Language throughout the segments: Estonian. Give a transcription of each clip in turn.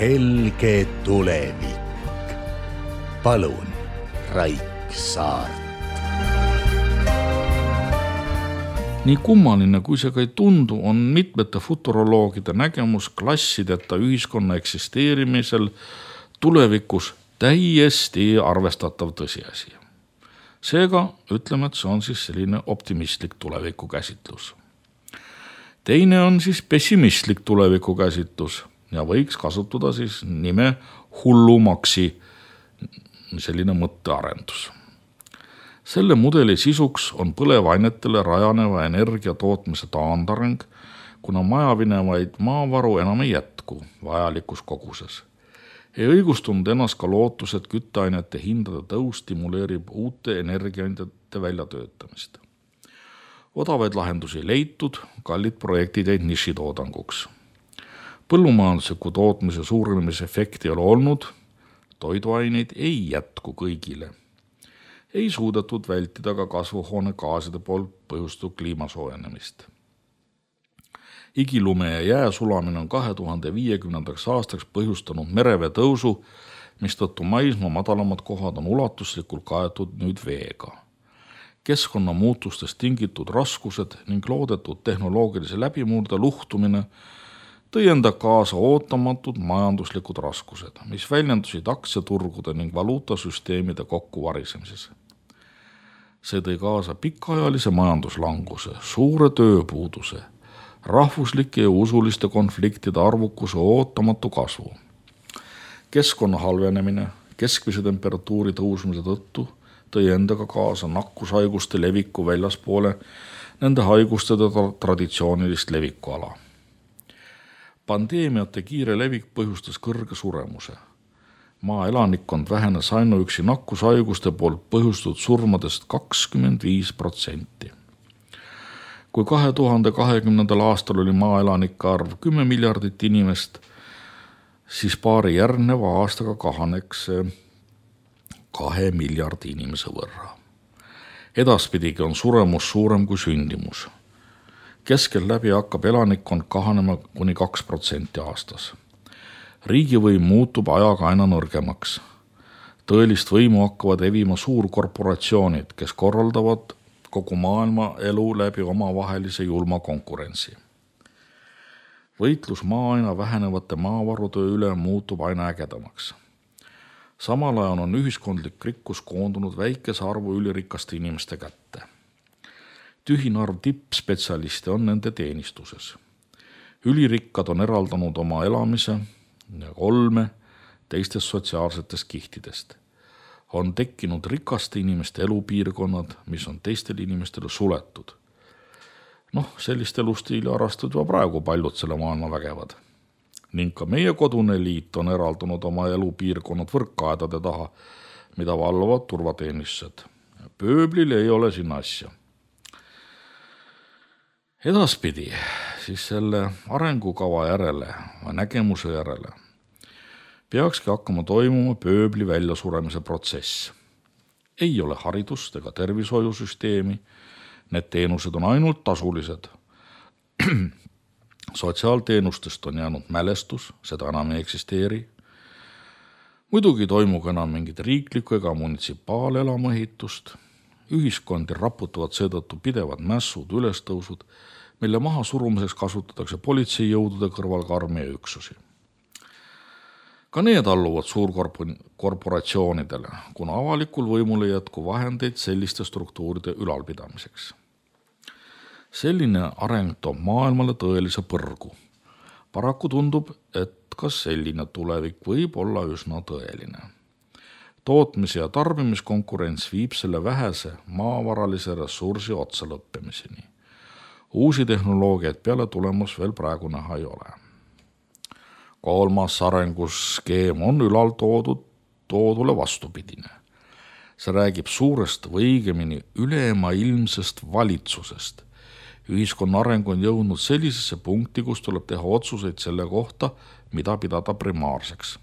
helge tulevik. Palun, Raik Saart. Nii kummaline, kui see ka ei tundu, on mitmete futuroloogide nägemus klassideta ühiskonna eksisteerimisel tulevikus täiesti arvestatav tõsiasi. Seega ütleme, et see on siis selline optimistlik tulevikukäsitlus. Teine on siis pessimistlik tulevikukäsitlus ja võiks kasutada siis nime hullumaksi, selline mõttearendus. Selle mudeli sisuks on põlevainetele rajaneva energia tootmise taandareng, kuna majavinevaid maavaru enam ei jätku vajalikus koguses. Ei õigustunud ennast ka lootus, et kütteainete hindade tõus stimuleerib uute energiaandjate väljatöötamist. Odavaid lahendusi leitud, kallid projektid jäid nišitoodanguks. Põllumajandusliku tootmise suurenemise efekti ei ole olnud, toiduaineid ei jätku kõigile. Ei suudetud vältida ka kasvuhoonegaaside poolt põhjustatud kliimasoojenemist. Igilume ja jää sulamine on 2050. aastaks põhjustanud merevee tõusu, mistõttu maismaa madalamad kohad on ulatuslikult kaetud nüüd veega. Keskkonnamuutustest tingitud raskused ning loodetud tehnoloogilise läbimurde luhtumine tõi enda kaasa ootamatud majanduslikud raskused, mis väljendusid aktsiaturgude ning valuutasüsteemide kokkuvarisemises. See tõi kaasa pikaajalise majanduslanguse, suure tööpuuduse, rahvuslike ja usuliste konfliktide arvukuse ootamatu kasvu. Keskkonna halvenemine keskmise temperatuuri tõusmise tõttu tõi endaga kaasa nakkushaiguste leviku väljaspoole nende haiguste traditsioonilist levikuala. Pandeemiate kiire levik põhjustas kõrge suremuse. Maaelanikkond vähenes ainuüksi nakkushaiguste poolt põhjustatud surmadest 25%. Kui 2020. aastal oli maaelanike arv 10 miljardit inimest, siis paari järgneva aastaga kahaneks 2 miljardi inimese võrra. Edaspidigi on suremus suurem kui sündimus. Keskel läbi hakkab elanikkond kahanema kuni 2% aastas. Riigivõim muutub ajaga aina nõrgemaks. Tõelist võimu hakkavad evima suurkorporatsioonid, kes korraldavad kogu maailma elu läbi omavahelise julma konkurentsi. Võitlus maa aina vähenevate maavarude üle muutub aina ägedamaks. Samal ajal on ühiskondlik rikkus koondunud väikese arvu ülirikaste inimeste kätte. Tühine arv tippspetsialiste on nende teenistuses. Ülirikkad on eraldanud oma elamise ja olme teistest sotsiaalsetest kihtidest. On tekkinud rikaste inimeste elupiirkonnad, mis on teistele inimestele suletud. Sellist elustiili harrastavad juba praegu paljud selle maailma vägevad. Ning ka meie kodune liit on eraldunud oma elupiirkonnad võrkaedade taha, mida valvavad turvateenistused. Pööblil ei ole sinna asja. Edaspidi siis selle arengukava järele või nägemuse järele peakski hakkama toimuma pööbli väljasuremise protsess. Ei ole haridust ega tervishoiusüsteemi, need teenused on ainult tasulised. Sotsiaalteenustest on jäänud mälestus, seda enam ei eksisteeri. Muidugi toimub enam mingit riiklikku ega munitsipaalelamuehitust. Ühiskondi raputavad seetõttu pidevad mässud, ülestõusud, mille maha surumiseks kasutatakse politseijõudude kõrval ka armeeüksusi. Ka need alluvad suurkorporatsioonidele, kuna avalikul võimul ei jätku vahendeid selliste struktuuride ülalpidamiseks. Selline areng toob maailmale tõelise põrgu. Paraku tundub, et ka selline tulevik võib olla üsna tõeline. Tootmise ja tarbimiskonkurents viib selle vähese maavaralise ressursi otsa lõppemiseni. Uusi tehnoloogiaid peale tulemus veel praegu näha ei ole. 3. arenguskeem on ülal toodule vastupidine. See räägib suurest või õigemini ülemaailmsest valitsusest. Ühiskonna areng on jõudnud sellisesse punkti, kus tuleb teha otsuseid selle kohta, mida pidada primaarseks.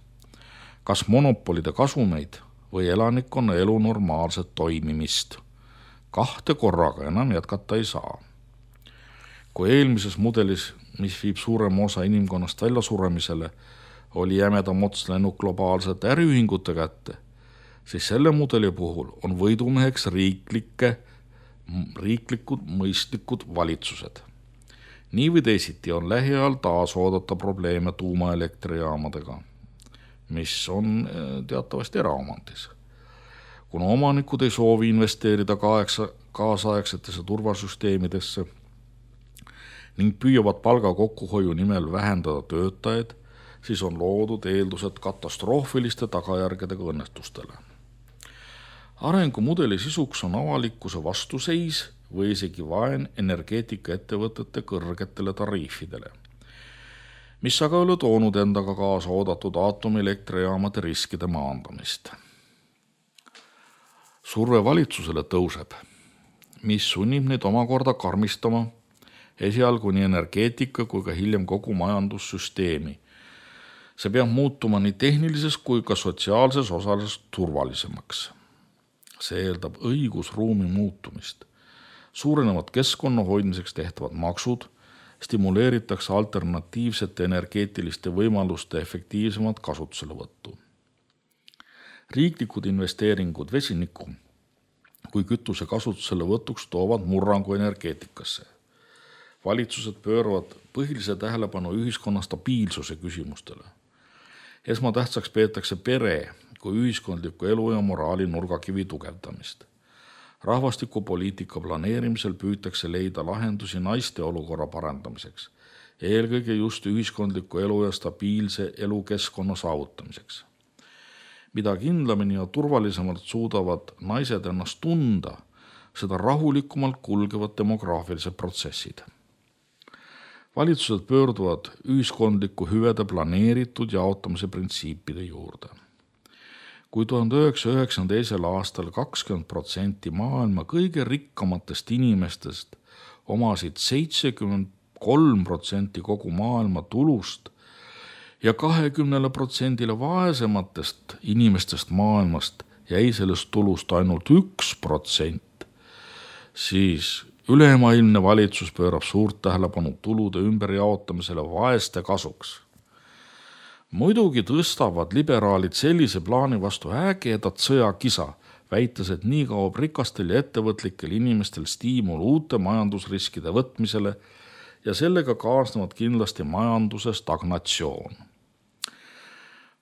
Kas monopolide kasumeid või elanikkonna elu normaalset toimimist. 2 korraga enam jätkata ei saa. Kui eelmises mudelis, mis viib suurema osa inimkonnast väljasuremisele, oli jämedam ots läinud globaalsete äriühingute kätte, siis selle mudeli puhul on võidumeheks riiklikud mõistlikud valitsused. Nii või teisiti on lähiajal taas oodata probleeme tuumaelektrijaamadega, mis on teatavasti eraomandis. Kuna omanikud ei soovi investeerida kaasaegsetesse turvasüsteemidesse ning püüavad palga kokkuhoiu nimel vähendada töötajaid, siis on loodud eeldused katastroofiliste tagajärgedega õnnetustele. Arengumudeli sisuks on avalikkuse vastuseis või isegi vaen energeetikaettevõtete kõrgetele tariifidele, mis aga ei ole toonud endaga kaasa oodatud aatomilektrijaamade riskide maandamist. Surve valitsusele tõuseb, mis sunnib neid omakorda karmistama esialgu nii energeetika kui ka hiljem kogu majandussüsteemi. See peab muutuma nii tehnilises kui ka sotsiaalses osales turvalisemaks. See eeldab õigusruumi muutumist. Suurenevad keskkonna hoidmiseks tehtavad maksud, stimuleeritakse alternatiivsete energeetiliste võimaluste efektiivsemat kasutuselevõttu. Riiklikud investeeringud vesiniku kui kütuse kasutuselevõtuks toovad murrangu energeetikasse. Valitsused pööravad põhilise tähelepanu ühiskonna stabiilsuse küsimustele. Esmatähtsaks peetakse pere kui ühiskondliku elu ja moraali nurgakivi tugevdamist. Rahvastikupoliitika planeerimisel püütakse leida lahendusi naiste olukorra parandamiseks, eelkõige just ühiskondliku elu ja stabiilse elukeskkonna saavutamiseks. Mida kindlamini ja turvalisemalt suudavad naised ennast tunda, seda rahulikumalt kulgevad demograafilised protsessid. Valitsused pöörduvad ühiskondliku hüvede planeeritud jaotamise printsiipide juurde. Kui 1992. aastal 20% maailma kõige rikkamatest inimestest omasid 73% kogu maailma tulust ja 20% vaesematest inimestest maailmast jäi sellest tulust ainult 1%, siis ülemaailmne valitsus pöörab suurt tähelepanu tulude ümberjaotamisele vaeste kasuks. Muidugi tõstavad liberaalid sellise plaani vastu ägedat sõjakisa, väites, et nii kaob rikastel ja ettevõtlikel inimestel stiimul uute majandusriskide võtmisele ja sellega kaasnevad kindlasti majanduse stagnatsioon.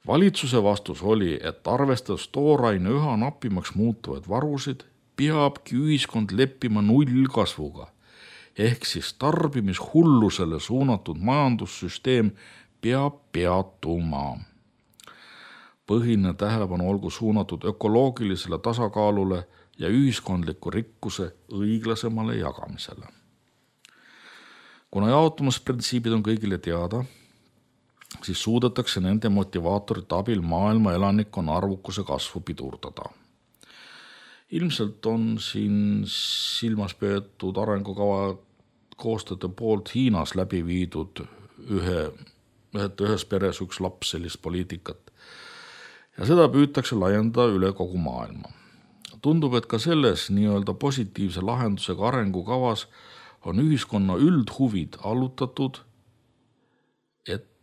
Valitsuse vastus oli, et arvestades tooraine üha napimaks muutuvaid varusid, peabki ühiskond leppima nullkasvuga, ehk siis tarbimishullusele suunatud majandussüsteem peab peatuma. Põhiline tähelepanu olgu suunatud ökoloogilisele tasakaalule ja ühiskondliku rikkuse õiglasemale jagamisele. Kuna jaotumisprintsiibid on kõigile teada, siis suudetakse nende motivaatorite abil maailma elanikkonna arvukuse kasvu pidurdada. Ilmselt on siin silmas peetud arengukava koostajate poolt Hiinas läbi viidud ühes peres üks laps sellist poliitikat. Ja seda püütakse laiendada üle kogu maailma. Tundub, et ka selles nii-öelda positiivse lahendusega arengukavas on ühiskonna üldhuvid allutatud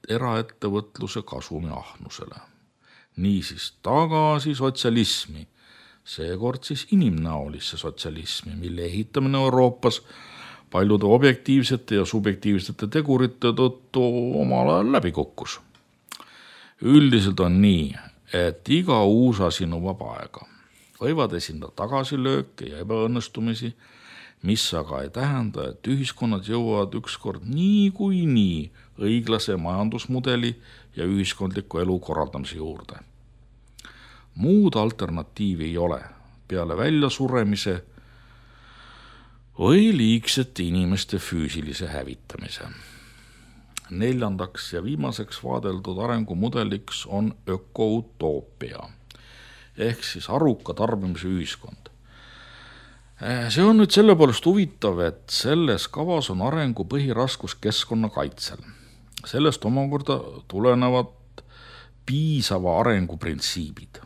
eraettevõtluse kasumi ahnusele. Niisiis tagasi sotsialismi, seekord siis inimnäolisse sotsialismi, mille ehitamine Euroopas paljude objektiivsete ja subjektiivsete tegurite tõttu omal ajal läbi kukkus. Üldiselt on nii, et iga uus asi nõuab aega. Võivad esindada tagasilööke ja ebaõnnestumisi, mis aga ei tähenda, et ühiskonnad jõuavad ükskord nii õiglase majandusmudeli ja ühiskondliku elu korraldamise juurde. Muud alternatiivi ei ole peale väljasuremise või liigsete inimeste füüsilise hävitamise. 4. ja viimaseks vaadeldud arengumudeliks on ökoutoopia ehk siis aruka tarbimise ühiskond. See on nüüd selle poolest huvitav, et selles kavas on arengu põhiraskus keskkonnakaitsel. Sellest omakorda tulenevad piisava arengu printsiibid.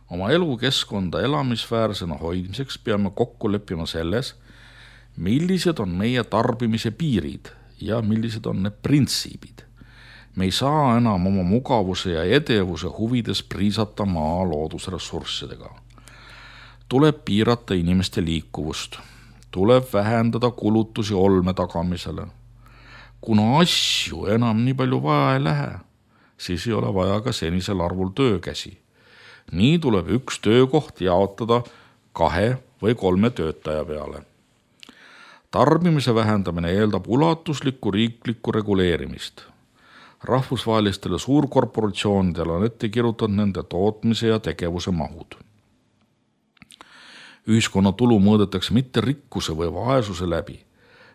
Oma elukeskkonda elamisväärsena hoidmiseks peame kokku leppima selles, millised on meie tarbimise piirid ja millised on need printsiibid. Me ei saa enam oma mugavuse ja edevuse huvides priisata maa loodusressurssidega. Tuleb piirata inimeste liikuvust. Tuleb vähendada kulutusi olme tagamisele. Kuna asju enam nii palju vaja ei lähe, siis ei ole vaja ka senisel arvul töökäsi. Nii tuleb üks töökoht jaotada 2 või 3 töötaja peale. Tarbimise vähendamine eeldab ulatuslikku riiklikku reguleerimist. Rahvusvahelistele suurkorporatsioonidele on ette kirjutatud nende tootmise ja tegevuse mahud. Ühiskonna tulu mõõdetakse mitte rikkuse või vaesuse läbi,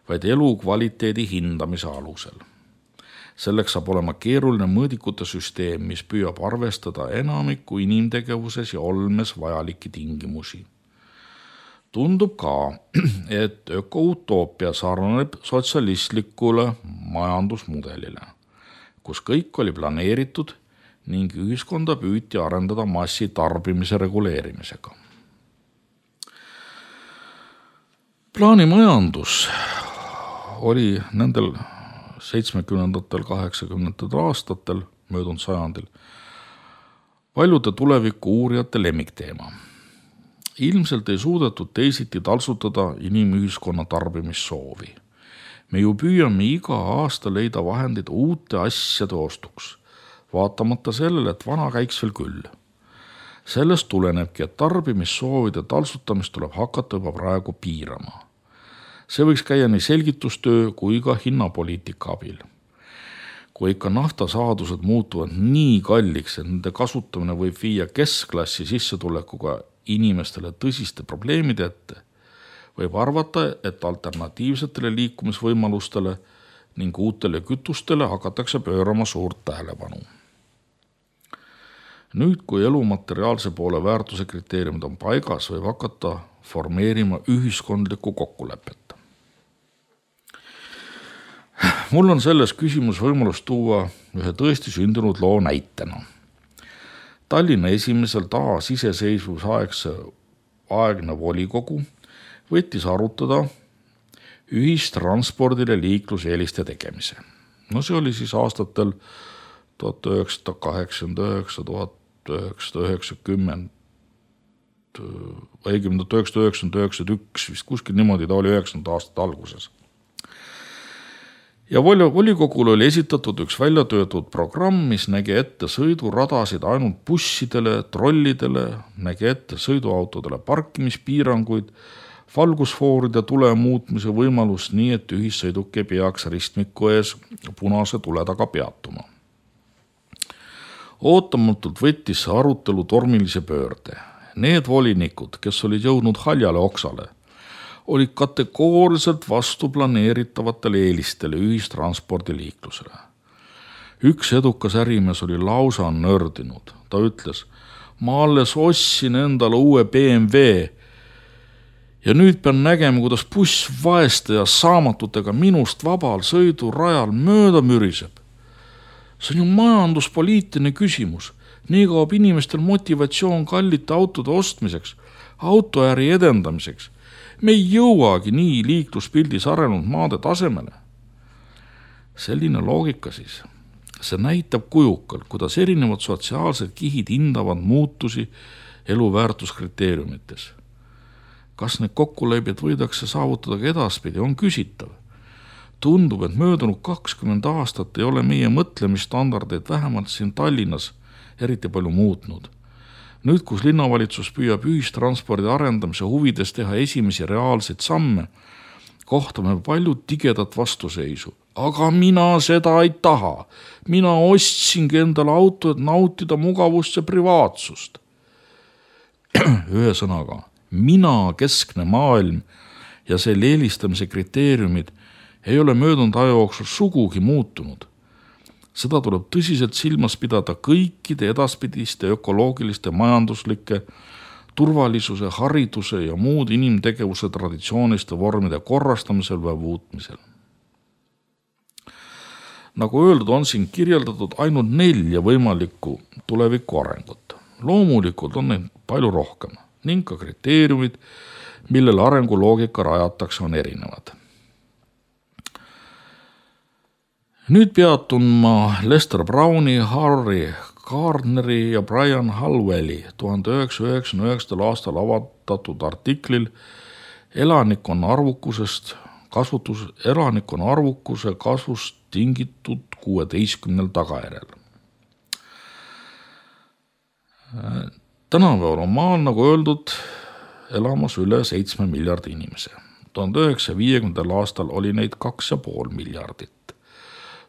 vaid elukvaliteedi hindamise alusel. Selleks saab olema keeruline mõõdikute süsteem, mis püüab arvestada enamiku inimtegevuses ja olmes vajalikke tingimusi. Tundub ka, et ökoutoopia sarnaneb sotsialistlikule majandusmudelile, kus kõik oli planeeritud ning ühiskonda püüti arendada massi tarbimise reguleerimisega. Plaanimajandus oli nendel 70. 80. aastatel möödunud sajandil paljude tuleviku uurijate lemmikteema. Ilmselt ei suudetud teisiti talsutada inimühiskonna tarbimissoovi. Me ju püüame iga aasta leida vahendid uute asjade ostuks, vaatamata sellele, et vana käiks veel küll. Sellest tulenebki, et tarbimissoovide talsutamist tuleb hakata juba praegu piirama. See võiks käia nii selgitustöö kui ka hinnapoliitika abil. Kui ikka naftasaadused muutuvad nii kalliks, et nende kasutamine võib viia keskklassi sissetulekuga inimestele tõsiste probleemide ette, võib arvata, et alternatiivsetele liikumisvõimalustele ning uutele kütustele hakatakse pöörama suurt tähelepanu. Nüüd, kui elu materiaalse poole väärtuse kriteeriumid on paigas, võib hakata formeerima ühiskondlikku kokkulepet. Mul on selles küsimus võimalus tuua ühe tõesti sündinud loo näitena. Tallinna esimesel taasiseseisvusaegne volikogu võttis arutada ühistranspordile liikluseeliste tegemise. See oli siis aastatel 1989, 1990, õigemini 1991, vist kuskil niimoodi ta oli 90. aastate alguses. Ja volikogul oli esitatud üks väljatöötud programm, mis nägi ette sõiduradasid ainult bussidele, trollidele, nägi ette sõiduautodele parkimispiiranguid, valgusfooride tule muutmise võimalus nii, et ühissõiduk ei peaks ristmiku ees punase tule taga peatuma. Ootamatult võttis see arutelu tormilise pöörde. Need volinikud, kes olid jõudnud haljale oksale, olid kategooriliselt vastu planeeritavatele eelistele ühistranspordiliiklusele. Üks edukas ärimees oli lausa nördinud. Ta ütles, ma alles ostsin endale uue BMW ja nüüd pean nägema, kuidas buss vaeste ja saamatutega minust vabal sõidurajal mööda müriseb. See on ju majanduspoliitiline küsimus. Nii kaob inimestel motivatsioon kallite autode ostmiseks, autoäri edendamiseks. Me ei jõuagi nii liikluspildis arenenud maade tasemele. Selline loogika siis. See näitab kujukalt, kuidas erinevad sotsiaalsed kihid hindavad muutusi eluväärtuskriteeriumites. Kas need kokkulepped võidakse saavutada ka edaspidi, on küsitav. Tundub, et möödunud 20 aastat ei ole meie mõtlemisstandardeid vähemalt siin Tallinnas eriti palju muutnud. Nüüd, kus linnavalitsus püüab ühistranspordi arendamise huvides teha esimesi reaalseid samme, kohtame palju tigedat vastuseisu. Aga mina seda ei taha. Mina ostsingi endale auto, et nautida mugavust ja privaatsust. Ühesõnaga, mina keskne maailm ja selle eelistamise kriteeriumid ei ole möödunud aja jooksul sugugi muutunud. Seda tuleb tõsiselt silmas pidada kõikide edaspidiste ökoloogiliste, majanduslike, turvalisuse, hariduse ja muud inimtegevuse traditsiooniste vormide korrastamisel või muutmisel. Nagu öeldud, on siin kirjeldatud ainult 4 võimalikku tuleviku arengut. Loomulikult on neid palju rohkem ning ka kriteeriumid, millele arenguloogika rajatakse, on erinevad. Nüüd peatun ma Lester Browni, Harry Gardneri ja Brian Hallwelli 1999. aastal avaldatud artiklil elanikkonna arvukuse kasvust tingitud 16 tagajärjel. Tänapäeval on maal, nagu öeldud, elamas üle 7 miljardi inimese. 1950. aastal oli neid 2,5 miljardit.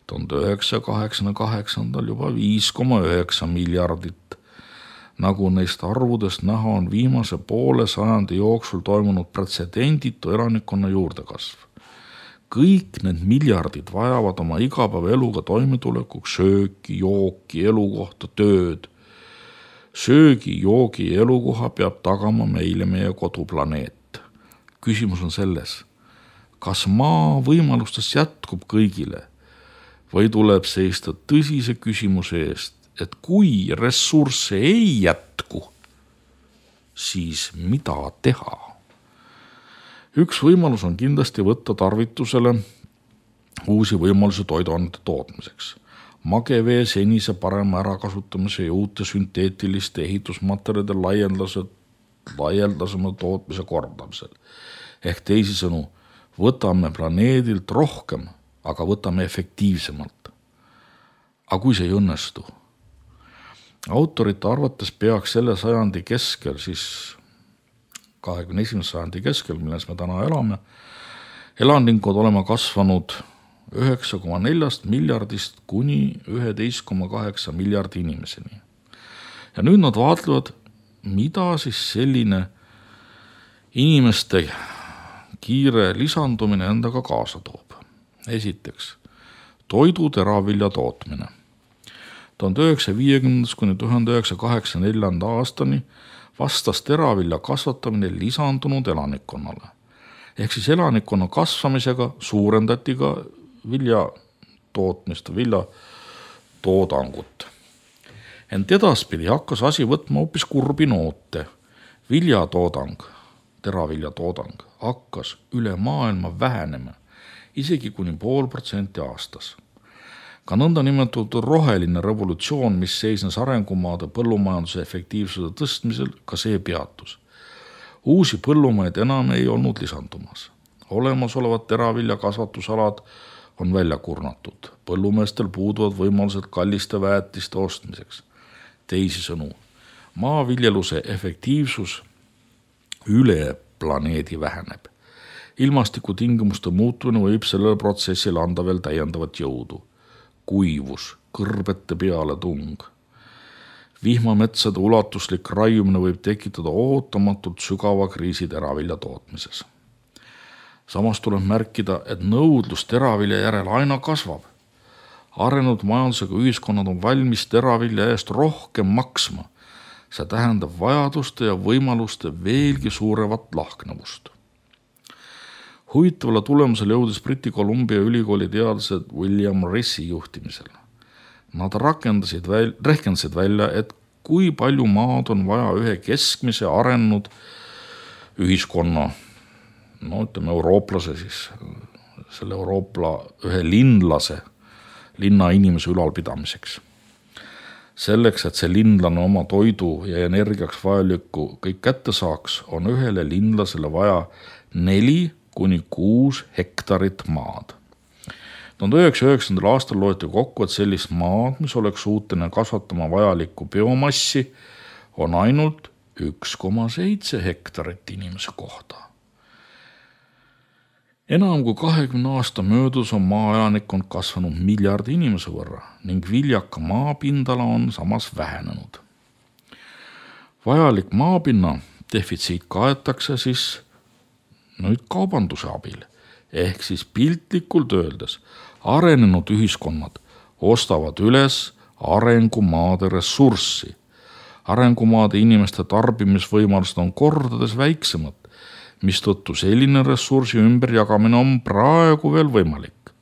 1988. juba 5,9 miljardit. Nagu neist arvudest näha on viimase poole sajandi jooksul toimunud pretsedenditu elanikkonna juurdekasv. Kõik need miljardid vajavad oma igapäevaeluga toimetulekuks sööki, jooki, elukohta, tööd. Söögi, joogi ja elukoha peab tagama meile meie koduplaneet. Küsimus on selles, kas maa võimalustest jätkub kõigile või tuleb seista tõsise küsimuse eest, et kui ressursse ei jätku, siis mida teha? Üks võimalus on kindlasti võtta tarvitusele uusi võimalusi toiduainete tootmiseks. Magevee senise parema ärakasutamise ja uute sünteetiliste ehitusmaterjalide laialdasema tootmise kordamisel. Ehk teisisõnu, võtame planeedilt rohkem, aga võtame efektiivsemalt. Aga kui see ei õnnestu? Autorite arvates peaks selle sajandi keskel, siis 21. sajandi keskel, milles me täna elame, elanikud olema kasvanud 9,4 miljardist kuni 11,8 miljardi inimeseni. Ja nüüd nad vaatlevad, mida siis selline inimeste kiire lisandumine endaga kaasa toob. Esiteks, toidu teravilja tootmine. 1950. kuni 1984. aastani vastas teravilja kasvatamine lisandunud elanikkonnale. Ehk siis elanikkonna kasvamisega suurendati ka viljatootmist, viljatoodangut. Ent edaspidi hakkas asi võtma hoopis kurbi noote. Viljatoodang, teraviljatoodang hakkas üle maailma vähenema, isegi kuni 0,5% aastas. Ka nõndanimetatud roheline revolutsioon, mis seisnes arengumaade põllumajanduse efektiivsuse tõstmisel, ka see peatus. Uusi põllumaid enam ei olnud lisandumas. Olemasolevad teravilja kasvatusalad on välja kurnatud. Põllumeestel puuduvad võimalused kalliste väetiste ostmiseks. Teisisõnu, maaviljeluse efektiivsus üle planeedi väheneb. Ilmastikutingimuste muutumine võib sellele protsessile anda veel täiendavat jõudu. Kuivus, kõrbete peale tung. Vihmametsade ulatuslik raiumine võib tekitada ootamatult sügava kriisi teravilja tootmises. Samas tuleb märkida, et nõudlus teravilja järel aina kasvab. Arenenud majandusega ühiskonnad on valmis teravilja eest rohkem maksma. See tähendab vajaduste ja võimaluste veelgi suurevat lahknevust. Huvitavale tulemusele jõudis Briti Columbia ülikooli teadlased William Rissi juhtimisel. Nad rehkendasid välja, et kui palju maad on vaja ühe keskmise arenenud ühiskonna, eurooplase siis, selle euroopla ühe linna inimese ülalpidamiseks. Selleks, et see linlane oma toidu ja energiaks vajalikku kõik kätte saaks, on ühele linlasele vaja 4 kuni 6 hektarit maad. 1909. aastal loeti kokku, et sellist maad, mis oleks suuteline kasvatama vajalikku biomassi, on ainult 1,7 hektarit inimese kohta. Enam kui 20 aasta möödus on maaelanikkond kasvanud miljardi inimese võrra ning viljaka maapindala on samas vähenenud. Vajalik maapinna defitsiit kaetakse siis nüüd kaubanduse abil, ehk siis piltlikult öeldes arenenud ühiskonnad ostavad üles arengumaade ressurssi. Arengumaade inimeste tarbimisvõimalused on kordades väiksemad, mistõttu selline ressursi ümberjagamine on praegu veel võimalik.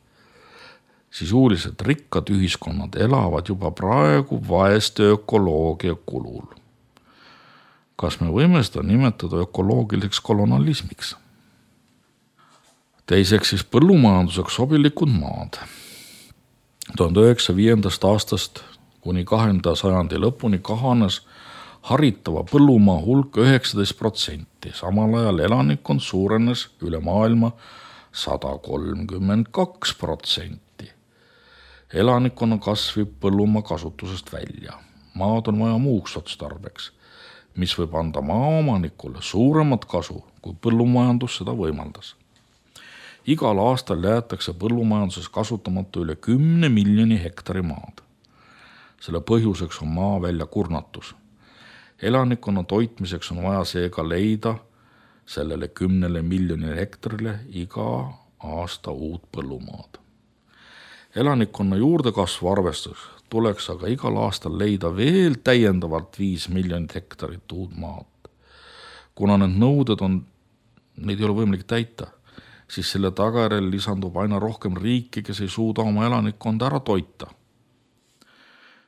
Sisuliselt rikkad ühiskonnad elavad juba praegu vaeste ökoloogia kulul. Kas me võime seda nimetada ökoloogiliseks kolonialismiks? Teiseks siis põllumajanduseks sobilikud maad. 1905. aastast kuni 20. sajandi lõpuni kahanes haritava põllumaa hulk 19%, samal ajal elanikkond suurenes üle maailma 132%. Elanikkonna kasv viib põllumaa kasutusest välja. Maad on vaja muuks otstarbeks, mis võib anda maaomanikule suuremat kasu, kui põllumajandus seda võimaldas. Igal aastal jäetakse põllumajanduses kasutamata üle 10 miljoni hektari maad. Selle põhjuseks on maa väljakurnatus. Elanikkonna toitmiseks on vaja seega leida sellele 10 miljonile hektarile iga aasta uut põllumaad. Elanikkonna juurdekasvu arvestus tuleks aga igal aastal leida veel täiendavalt 5 miljonit hektarit uut maad. Kuna need nõuded neid ei ole võimalik täita, siis selle tagajärjel lisandub aina rohkem riiki, kes ei suuda oma elanikkonda ära toita.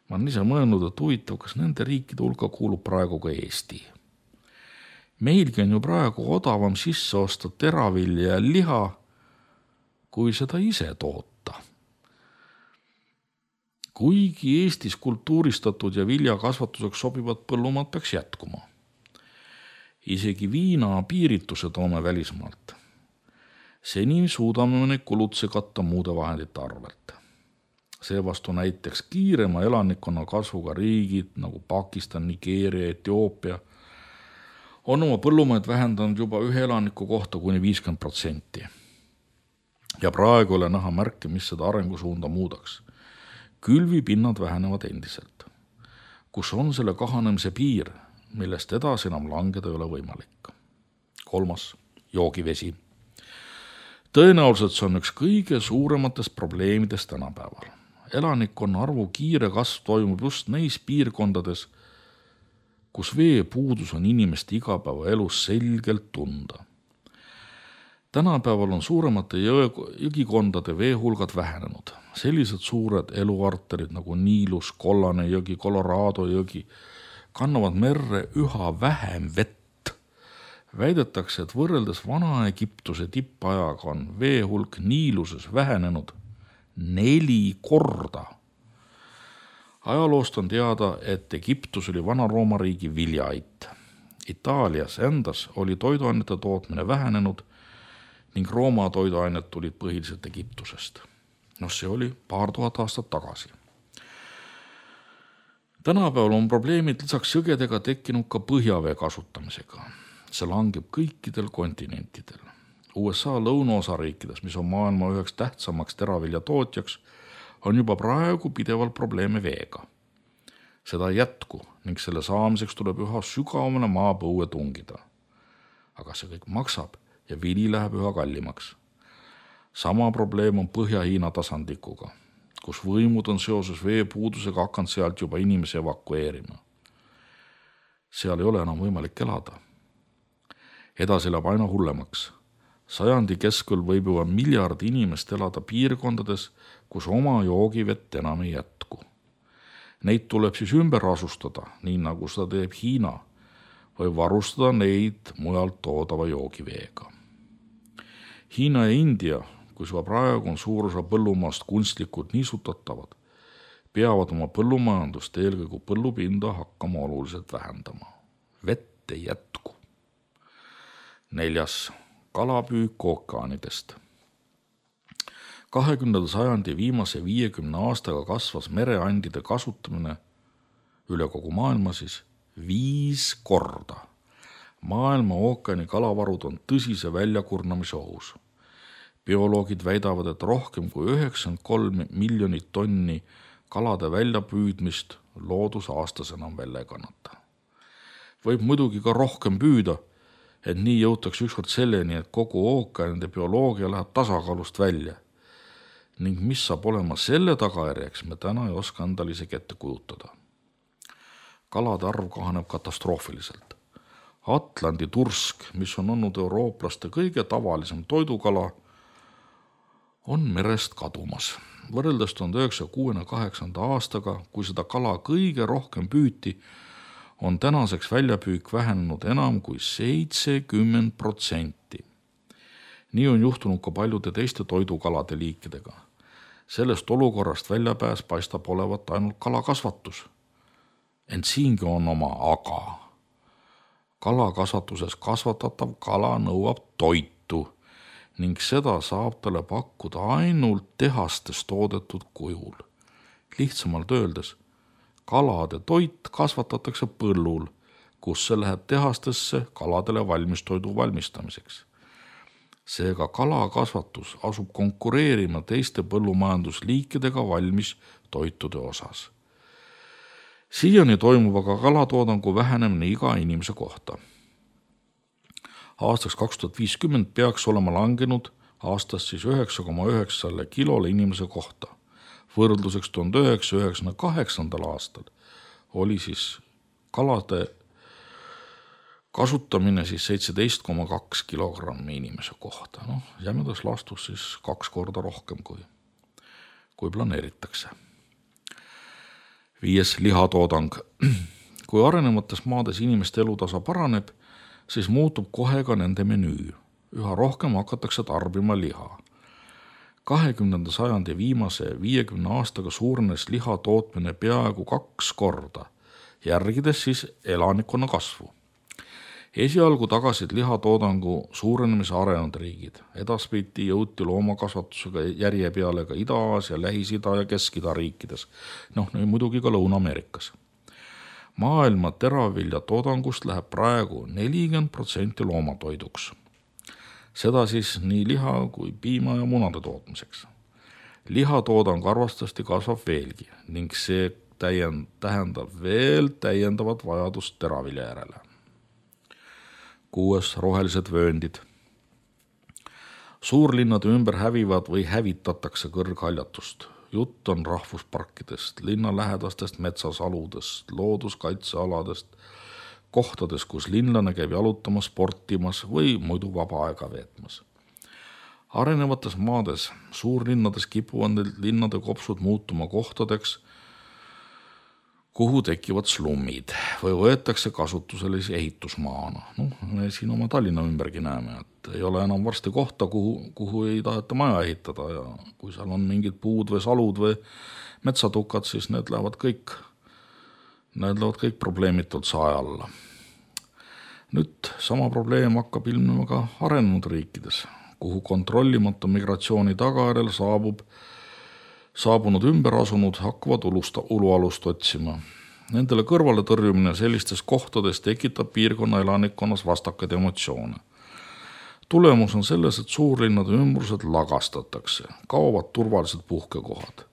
Ma olen ise mõelnud, et huvitav, kas nende riikide hulka kuulub praegu ka Eesti. Meilgi on ju praegu odavam sisse osta teravilja ja liha, kui seda ise toota. Kuigi Eestis kultuuristatud ja viljakasvatuseks sobivad põllumaad peaks jätkuma. Isegi viina piirituse toome välismaalt. Seni suudame neid kulutuse katta muude vahendite arvelt. Seevastu näiteks kiirema elanikkonna kasvuga riigid nagu Pakistan, Nigeeria, Etioopia on oma põllumaid vähendanud juba ühe elaniku kohta kuni 50%. Ja praegu ole näha märke, mis seda arengusuunda muudaks. Külvipinnad vähenevad endiselt. Kus on selle kahanemise piir, millest edasi enam langeda ei ole võimalik? 3. joogivesi. Tõenäoliselt see on üks kõige suurematest probleemidest tänapäeval. Elanikkonna arvu kiire kasv toimub just neis piirkondades, kus veepuudus on inimeste igapäevaelus selgelt tunda. Tänapäeval on suuremate jõgikondade veehulgad vähenenud. Sellised suured eluarterid nagu Niilus, Kollane jõgi, Colorado jõgi kannavad merre üha vähem vett. Väidetakse, et võrreldes Vana-Egiptuse tippajaga on veehulk Niiluses vähenenud 4 korda. Ajaloost on teada, et Egiptus oli Vana-Rooma riigi viljaait. Itaalias endas oli toiduainete tootmine vähenenud ning Rooma toiduained tulid põhiliselt Egiptusest. See oli paar tuhat aastat tagasi. Tänapäeval on probleemid lisaks jõgedega tekkinud ka põhjavee kasutamisega. See langeb kõikidel kontinentidel. USA lõunaosariikides, mis on maailma üheks tähtsamaks teravilja tootjaks, on juba praegu pidevalt probleeme veega. Seda ei jätku ning selle saamiseks tuleb üha sügavamale maapõue tungida. Aga see kõik maksab ja vili läheb üha kallimaks. Sama probleem on Põhja-Hiina tasandikuga, kus võimud on seoses veepuudusega hakanud sealt juba inimesi evakueerima. Seal ei ole enam võimalik elada. Edasi läheb aina hullemaks. Sajandi keskel võib juba 1 miljard inimest elada piirkondades, kus oma joogivett enam ei jätku. Neid tuleb siis ümber asustada, nii nagu seda teeb Hiina, või varustada neid mujalt toodava joogiveega. Hiina ja India, kus praegu on suur osa põllumaast kunstlikult niisutatavad, peavad oma põllumajandust eelkõige põllupinda hakkama oluliselt vähendama. Vett ei jätku. 4. kalapüük ookeanidest. 20. sajandi viimase 50 aastaga kasvas mereandide kasutamine üle kogu maailma 5 korda. Maailma ookeani kalavarud on tõsise väljakurnamise ohus. Bioloogid väidavad, et rohkem kui 93 miljonit tonni kalade väljapüüdmist loodus aastas enam välja ei kannata. Võib muidugi ka rohkem püüda, et nii jõutakse ükskord selleni, et kogu ookeanide bioloogia läheb tasakaalust välja. Ning mis saab olema selle tagajärjeks, me täna ei oska endale isegi ette kujutada. Kalade arv kahaneb katastroofiliselt. Atlandi tursk, mis on olnud eurooplaste kõige tavalisem toidukala, on merest kadumas. Võrreldes 1968. aastaga, kui seda kala kõige rohkem püüti, on tänaseks väljapüük vähenenud enam kui 70%. Nii on juhtunud ka paljude teiste toidukalade liikidega. Sellest olukorrast väljapääs paistab olevat ainult kalakasvatus. Ent siingi on oma aga. Kalakasvatuses kasvatatav kala nõuab toitu ning seda saab talle pakkuda ainult tehastes toodetud kujul. Lihtsamalt öeldes, kalade toit kasvatatakse põllul, kus see läheb tehastesse kaladele valmistoidu valmistamiseks. Seega kalakasvatus asub konkureerima teiste põllumajandusliikidega valmis toitude osas. Siiani toimub aga kalatoodangu vähenemine iga inimese kohta. Aastaks 2050 peaks olema langenud aastast 9,9 kilole inimese kohta. Võrdluseks 1998. aastal oli siis kalade kasutamine 17,2 kilogrammi inimese kohta. Jämedas laastus siis 2 korda rohkem kui planeeritakse. 5. Lihatoodang. Kui arenevates maades inimeste elutasa paraneb, siis muutub kohe ka nende menüü. Üha rohkem hakatakse tarbima liha. 20. sajandi viimase 50 aastaga suurenes liha tootmine peaaegu 2 korda, järgides siis elanikkonna kasvu. Esialgu tagasid lihatoodangu suurenemise arenenud riigid. Edaspidi jõuti loomakasvatusega järje peale ka Ida-Aasia, Lähis-Ida ja Kesk-Ida riikides. Muidugi ka Lõuna-Ameerikas. Maailma teraviljatoodangust läheb praegu 40% loomatoiduks. Seda siis nii liha kui piima ja munade tootmiseks. Lihatoodang arvatavasti kasvab veelgi ning see tähendab veel täiendavat vajadust teravilja järele. 6. Rohelised vööndid. Suurlinnade ümber hävivad või hävitatakse kõrghaljatust. Jutt on rahvusparkidest, linnalähedastest metsasaludest, looduskaitsealadest, kohtades, kus linlane käib jalutamas, sportimas või muidu vaba aega veetmas. Arenevates maades, suurlinnades kipuvad linnade kopsud muutuma kohtadeks, kuhu tekivad slummid või võetakse kasutusele ehitusmaana. Me siin oma Tallinna ümbergi näeme, et ei ole enam varsti kohta, kuhu ei taheta maja ehitada ja kui seal on mingid puud või salud või metsatukad, siis need lähevad kõik probleemitult sae alla. Nüüd sama probleem hakkab ilmnema ka arenenud riikides, kuhu kontrollimata migratsiooni tagajärjel saabunud ümberasunud hakkavad ulualust otsima. Nendele kõrvale tõrjumine sellistes kohtades tekitab piirkonna elanikkonnas vastakaid emotsioone. Tulemus on selles, et suurlinnade ümbrused lagastatakse, kaovad turvalised puhkekohad.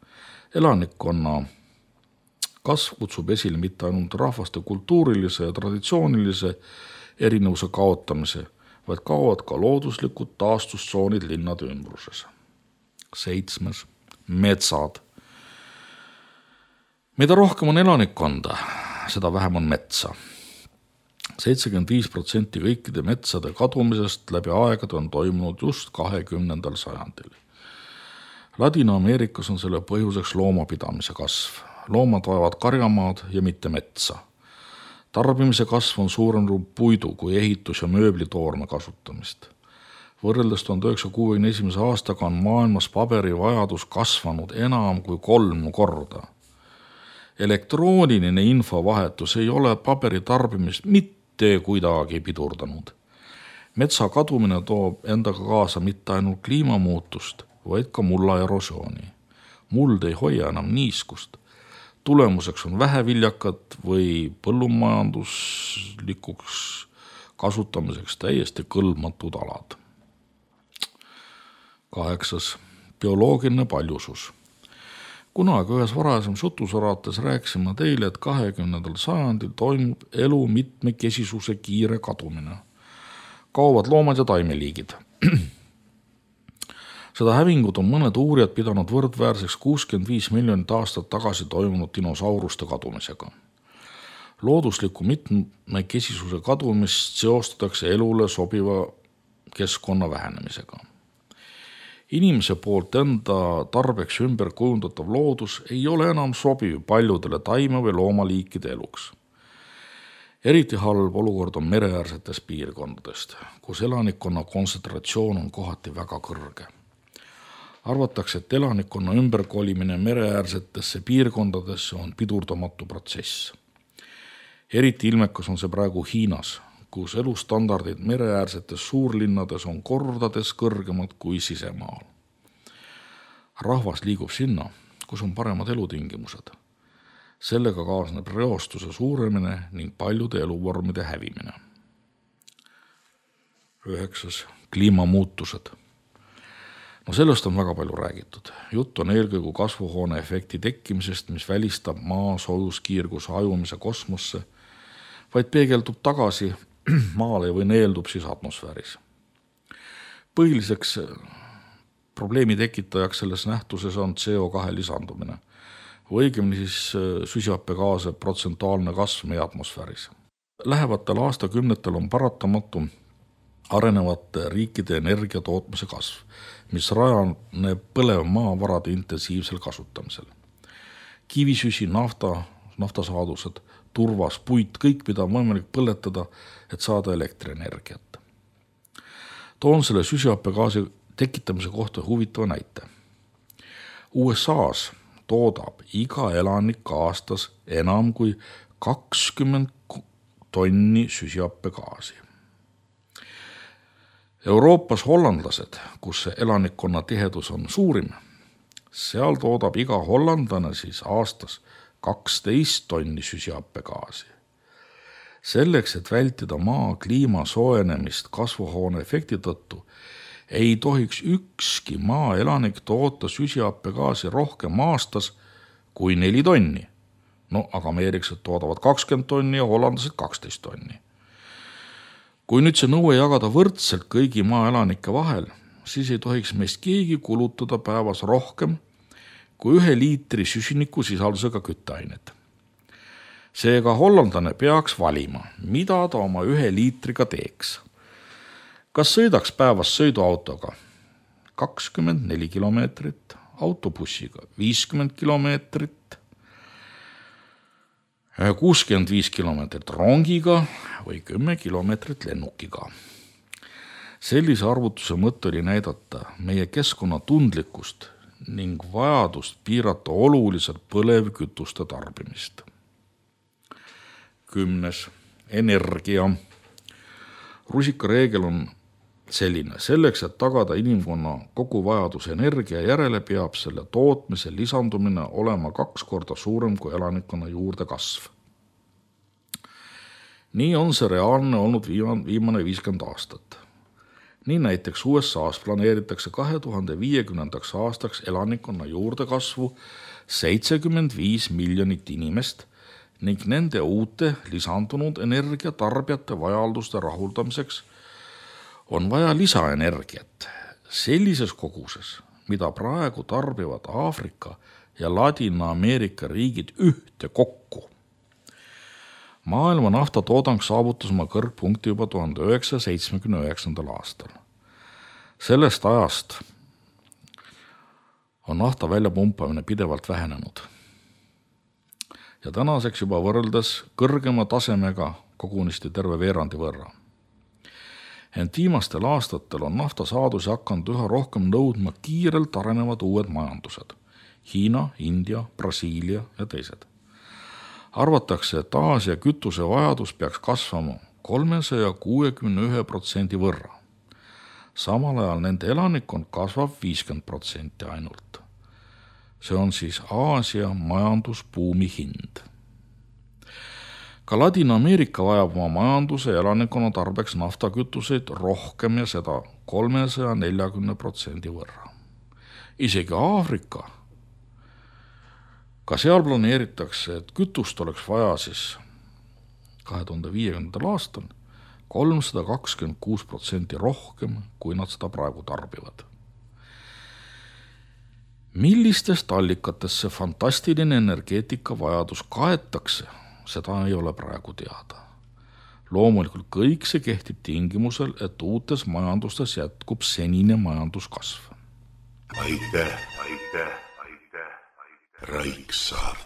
Elanikkonna kasv kutsub esile mitte ainult rahvaste kultuurilise ja traditsioonilise erinevuse kaotamise, vaid kaovad ka looduslikud taastustsoonid linnade ümbruses. 7. Metsad. Mida rohkem on elanikkonda, seda vähem on metsa. 75% kõikide metsade kadumisest läbi aegade on toimunud just 20. sajandil. Ladina-Ameerikas on selle põhjuseks loomapidamise kasv. Loomad vajavad karjamaad ja mitte metsa. Tarbimise kasv on suurenenud puidu kui ehitus- ja mööblitoorme kasutamist. Võrreldes 1961. aastaga on maailmas paberi vajadus kasvanud enam kui 3 korda. Elektrooniline infovahetus ei ole paberi tarbimist mitte kuidagi pidurdanud. Metsa kadumine toob endaga kaasa mitte ainult kliimamuutust, vaid ka mulla erosiooni. Muld ei hoia enam niiskust. Tulemuseks on väheviljakat või põllumajanduslikuks kasutamiseks täiesti kõlbmatud alad. 8. Bioloogiline paljusus. Kunagi ühes varasemas jutusaraates rääkisime teile, et 20. sajandil toimub elu mitmekesisuse kiire kadumine. Kaovad loomad ja taimeliigid. Seda hävingut on mõned uurijad pidanud võrdväärseks 65 miljonit aastat tagasi toimunud dinosauruste kadumisega. Loodusliku mitmekesisuse kadumist seostatakse elule sobiva keskkonna vähenemisega. Inimese poolt enda tarbeks ümber kujundatav loodus ei ole enam sobiv paljudele taime- või loomaliikide eluks. Eriti halb olukord on mereäärsetes piirkondadest, kus elanikkonna kontsentratsioon on kohati väga kõrge. Arvatakse, et elanikkonna ümberkolimine mereäärsetesse piirkondadesse on pidurdamatu protsess. Eriti ilmekas on see praegu Hiinas, kus elustandardid mereäärsetes suurlinnades on kordades kõrgemad kui sisemaal. Rahvas liigub sinna, kus on paremad elutingimused. Sellega kaasneb reostuse suuremine ning paljude eluvormide hävimine. 9. Kliimamuutused. No sellest on väga palju räägitud. Jutt on eelkõige kasvuhoone efekti tekkimisest, mis välistab maa soojuskiirguse hajumise kosmosse, vaid peegeldub tagasi maale või neeldub siis atmosfääris. Põhiliseks probleemi tekitajaks selles nähtuses on CO2 lisandumine, või õigemini siis süsihappegaase protsentuaalne kasv meie atmosfääris. Lähevatel aastakümnetel on paratamatu arenevate riikide energiatootmise kasv, mis rajaneb põlevmaavarade intensiivsel kasutamisel. Kivisüsi, naftasaadused, turvas, puit, kõik, mida on võimalik põletada, et saada elektrienergiat. Toon selle süsihappegaasi tekitamise kohta huvitava näite. USA's toodab iga elanik aastas enam kui 20 tonni süsihappegaasi. Euroopas hollandlased, kus see elanikkonna tihedus on suurim, seal toodab iga hollandlane siis aastas 12 tonni süsihappegaasi. Selleks, et vältida maa kliima soojenemist kasvuhoone efekti tõttu, ei tohiks ükski maaelanik toota süsihappegaasi rohkem aastas kui 4 tonni. No, aga ameeriklased toodavad 20 tonni ja hollandlased 12 tonni. Kui nüüd see nõue jagada võrdselt kõigi maaelanike vahel, siis ei tohiks meist keegi kulutada päevas rohkem kui 1 liitri süsiniku sisaldusega kütteainet. Seega hollandlane peaks valima, mida ta oma 1 liitriga teeks. Kas sõidaks päevas sõiduautoga 24 kilomeetrit, autobussiga 50 kilomeetrit, 65 kilomeetrit rongiga või 10 kilomeetrit lennukiga. Sellise arvutuse mõte oli näidata meie keskkonna tundlikkust ning vajadust piirata oluliselt põlevkütuste tarbimist. 10. Energia. Rusikareegel on selline. Selleks, et tagada inimkonna kogu vajadus energia järele, peab selle tootmise lisandumine olema 2 korda suurem kui elanikkonna juurde kasv. Nii on see reaalne olnud viimane 50 aastat. Nii näiteks USA's planeeritakse 2050. aastaks elanikkonna juurde kasvu 75 miljonit inimest ning nende uute lisandunud energiatarbijate vajalduste rahuldamiseks on vaja lisaenergiat sellises koguses, mida praegu tarbivad Aafrika ja Ladina-Ameerika riigid ühte kokku. Maailma naftatoodang saavutas oma kõrgpunkti juba 1979. aastal. Sellest ajast on nafta väljapumpamine pidevalt vähenenud. Ja tänaseks juba võrreldes kõrgema tasemega kogunisti terve veerandi võrra. Ent viimastel aastatel on naftasaadusi hakanud üha rohkem nõudma kiirelt arenevad uued majandused. Hiina, India, Brasiilia ja teised. Arvatakse, et Aasia kütuse vajadus peaks kasvama 361% võrra. Samal ajal nende elanikkond kasvab 50% ainult. See on siis Aasia majandusbuumi hind. Ka Ladina-Ameerika vajab oma majanduse ja elanikkonna tarbeks naftakütuseid rohkem ja seda 340% võrra. Isegi Aafrika. Ka seal planeeritakse, et kütust oleks vaja siis 2050. aastal 326% rohkem, kui nad seda praegu tarbivad. Millistest allikatest see fantastiline energeetika vajadus kaetakse, seda ei ole praegu teada. Loomulikult kõik see kehtib tingimusel, et uutes majandustes jätkub senine majanduskasv. Aitäh. Raiksaar.